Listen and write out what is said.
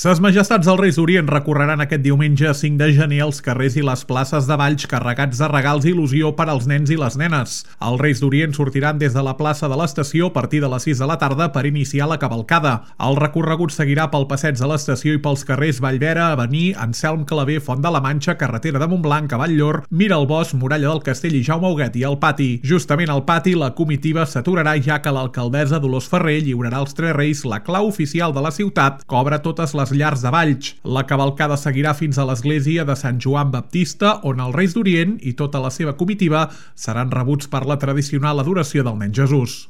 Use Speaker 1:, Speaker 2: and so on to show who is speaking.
Speaker 1: Ses Majestats dels Reis d'Orient recorreran aquest diumenge 5 de gener als carrers i les places de Valls carregats de regals i il·lusió per als nens i les nenes. Els Reis d'Orient sortiran des de la plaça de l'estació a partir de les 6 de la tarda per iniciar la cavalcada. El recorregut seguirà pel passeig de l'estació i pels carrers Vallvera, Avenir, Anselm Clavé, Font de la Manxa, carretera de Montblanc, Cavall-llor, Miralbós, Muralla del Castell i Jaume Huguet i al pati. Justament al pati la comitiva s'aturarà ja que l'alcaldessa Dolors Ferrer lliurarà als tres reis la clau oficial de la ciutat que obre totes les llars de Valls. La cavalcada seguirà fins a l'església de Sant Joan Baptista, on els Reis d'Orient i tota la seva comitiva seran rebuts per la tradicional adoració del nen Jesús.